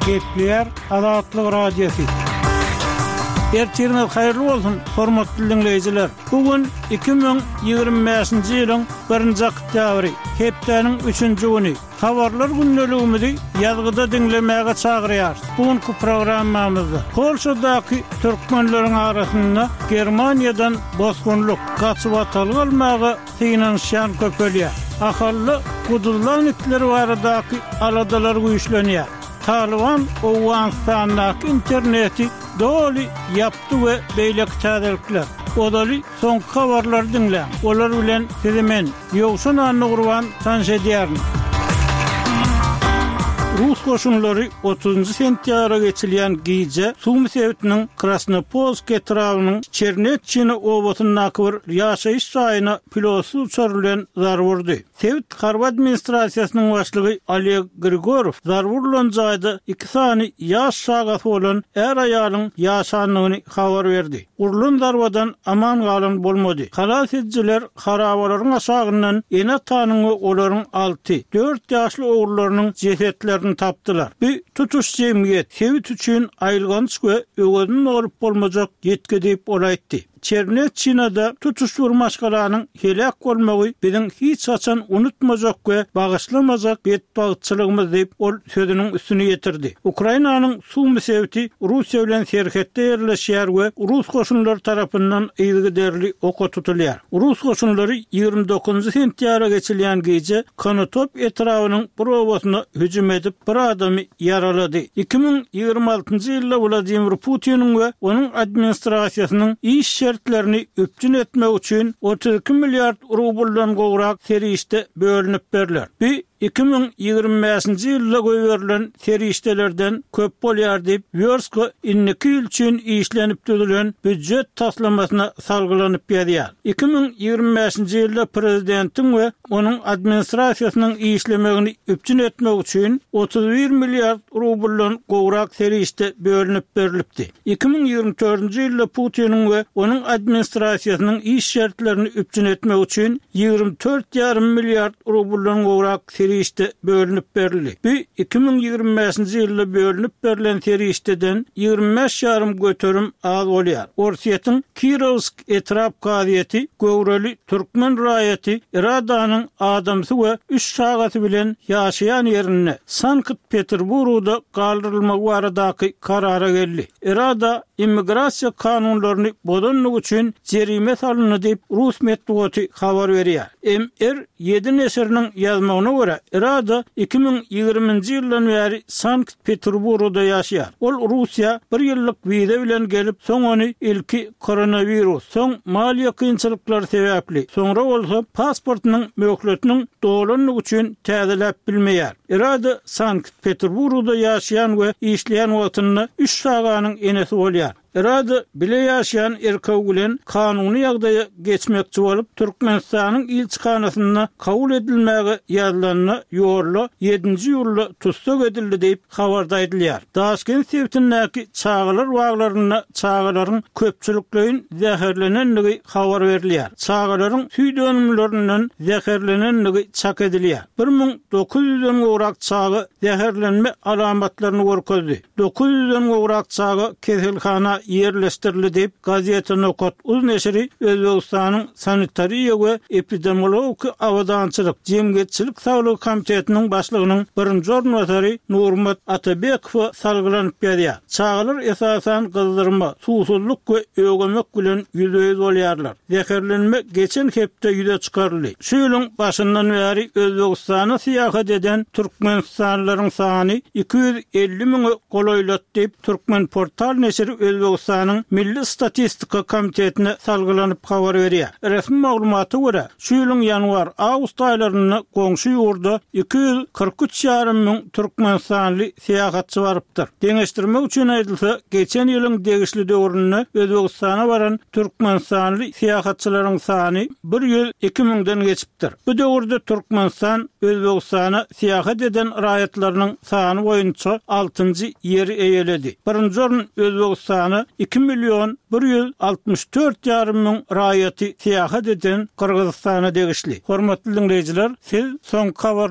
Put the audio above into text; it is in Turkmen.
Gepleýär Azatlyk Radiosy. Ertiriňiz haýyrly bolsun, hormatly diňleýjiler! Bu gün 2025-nji ýylyň birinji oktýabry, hepdäniň üçünji güni. Habarlar gündeligimizi ýazgyda diňlemäge çagyrýarys. Bu günki programmamyzda Polşadaky türkmenleriň arasynda Germaniýadan bosgunlyk, gaçybatalga almaga synanyşýan köpelýär. Ahalda guduzlan itler baradaky aladalar güýçlenýär. Talyban Owganystandaky interneti doly ýapdy we beýleki täzelikler. Ozaly soňky habarlary diňläň. Olar bilen sizi men, Ýowşan Annagurban tanyş edýärin. Rus goşunlary otuzynjy sentýabra geçilýän gije Sumy sebitiniň Krasnopolsk etrabynyň Çernetçina obasyndaky bir ýaşaýyş jaýyna pilotsyz uçar bilen zarba urdy. Sebit harby administrasiýasynyň başlygy Oleg Grigorow zarba urlan jaýda iki sany ýaş çagasy bolan är-aýalyň ýaşandygyny habar berdi. Urlan zarbadan aman galan bolmady. Halas edijiler harabalaryň aşagyndan ene-atanyň we olaryň alty, dört ýaşly ogullarynyň jesetlerini tapdylar. Bu tutuş jemgyýet, sebit üçin aýylganç we öwezini dolup bolmajak ýitgi diýip, ol aýtdy. Çernetçinada tutuş bir maşgalanyň heläk bolmagy biziň hiç haçan unutmajak we bagyşlamajak betbagtçylygymyz diýip, ol sözüniň üstüni ýetirdi. Ukrainanyň Sumy sebiti Russiýa bilen serhetde ýerleşýär we rus goşunlary tarapyndan yzygiderli oka tutulýar. Rus goşunlary 29-njy sentýabra geçilýän gije Konotop etrabynyň bir obasyna hüjüm edip, bir adamy ýaralady. 2026-njy ýylda Wladimir Putiniň we onuň administrasiýasynyň iş şertlerini üpjün etmek üçin 32 milliard rubldan gowrak serişde bölünip berler. Bu 2025-nji ýylda goýberilen serişdelerden köp bolýar diýip, Wýorska indiki ýyl üçin işlenip düzülen býujet taslamasyna salgylanyp ýazýar. 2025-nji ýylda prezidentiň we onuň administrasiýasynyň işlemegini üpjün etmek üçin 31 milliard rubldan gowrak serişde bölünip berlipdi. 2024-nji ýylda Putiniň we onuň administrasiýasynyň iş şertlerini üpjün etmek üçin 24 ýarym milliard rubldan gowrak serişde bölünip berildi. Bu 2025-nji ýylda bölünip berlen serişdeden 25 ýarym göterim az bolýar. Orsýetiň Kirowsk etrap kazyýeti göwreli türkmen raýaty Iradanyň adamsy we üç çagasy bilen ýaşaýan ýerinde, Sankt-Peterburgda galdyrylmagy baradaky karara geldi. Irada immigrasiýa kanunlaryny bozandygy üçin jerime salyndy diýip, rus metbugaty habar berýär. MR ýedi neşiriniň ýazmagyna görä, Irada 2020-nji ýyldan bäri Sankt Peterburgda ýaşaýar. Ol Russiýa bir ýyllyk wiza bilen gelip, soň ony ilki koronawirus, soň maliýe kynçylyklary sebäpli, soňra bolsa pasportynyň möhletiniň dolandygy üçin täzeläp bilmeýär. Irada Sankt-Peterburgda ýaşaýan we işleýän wagtynda üç çaganyň enesi bolýar. Irada bile ýaşaýan erkegi bilen kanuny ýagdaýa geçmekçi bolup, Türkmenistanyň ilçihanasynda kabul edilmäge ýazylanda ýolda ýedinji iýulda tussag edildi diýip, habarda aýdylýar. Daşkent sebitindäki çagalar baglarynda çagalaryň köpçülikleýin zäherlenendigi habar berilýär. Çagalaryň süýt önümlerinden zäherlenendigi çak edilýär. 1900-den gowrak çaga zäherlenme alamatlaryny görkezdi. 900-den gowrak çaga keselhana ýerleşdirildi diýip, Gazeta Nokat uz neşiri Özbegistanyň Sanitariýa we epidemiologiki abadançylyk jemgyýetçilik saglygy komitetiniň başlygynyň birinji orunbasary Nurmat Atabekowa salgylanyp ýazýar. Çagalar esasan gyzdyrma, suwsuzlyk we ögemek bilen ýüzbe-ýüz bolýarlar. Zäherlenme geçen hepde ýüze çykaryldy. Şu ýylyň başyndan bäri Özbegistana syýahat eden türkmenistanlylaryň sany 250 müňe golaýlady diýip, Turkmenportal neşiri Özbegistanyň Milli statistika komitetine salgylanyp habar berýär. Resmi maglumata görä, şu ýylyň ýanwar-awgust aýlarynda goňşy ýurda 243 ýarym müň türkmenistanly syýahatçy barypdyr. Deňeşdirmek üçin aýdylsa, geçen ýylyň degişli döwründe Özbegistana baran türkmenistanly syýahatçylaryň sany 102 müňden geçipdir. Bu döwürde Türkmenistan Özbegistana syýahat eden raýatlarynyň sany boýunça altynjy ýeri eýeledi. Birinji orun Özbegistana iki million 164 ýarym müň raýaty syýahat eden Gyrgyzystana degişli. Hormatly diňleýjiler, siz soňky habarlary.